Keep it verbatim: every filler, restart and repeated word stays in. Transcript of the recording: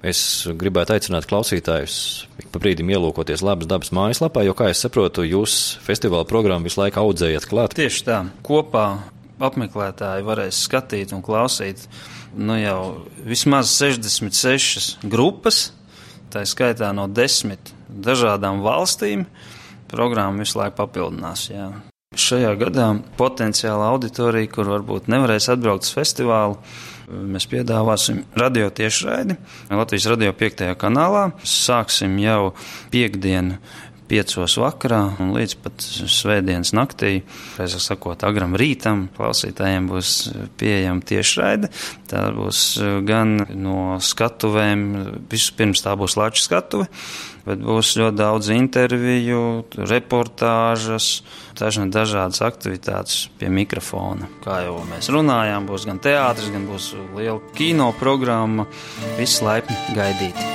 Es gribētu aicināt klausītājus ik pa brīdim ielūkoties Labas dabas mājaslapā, jo, kā es saprotu, jūs festivāla programmu visu laiku audzējat klāt. Tieši tā. Kopā apmeklētāji varēs skatīt un klausīt nu jau vismaz sešdesmit sešas grupas, tā skaitā no desmit dažādām valstīm. Programma visu laiku papildinās, jā. Šajā gadā potenciāla auditorija, kur varbūt nevarēs atbraukt uz festivālu, mēs piedāvāsim radio tiešraidi Latvijas radio piektajā kanālā. Sāksim jau piekdienu piecos vakarā un līdz pat svētdienas naktī, pēc sakot, agram rītam, klausītājiem būs pieejama tiešraide. Tā būs gan no skatuvēm, vispirms tā būs Latvijas skatuve, bet būs ļoti daudz interviju, reportāžas, dažādas aktivitātes pie mikrofona. Kā jau mēs runājām, būs gan teātris, gan būs liela kino programma, viss laipni gaidīti.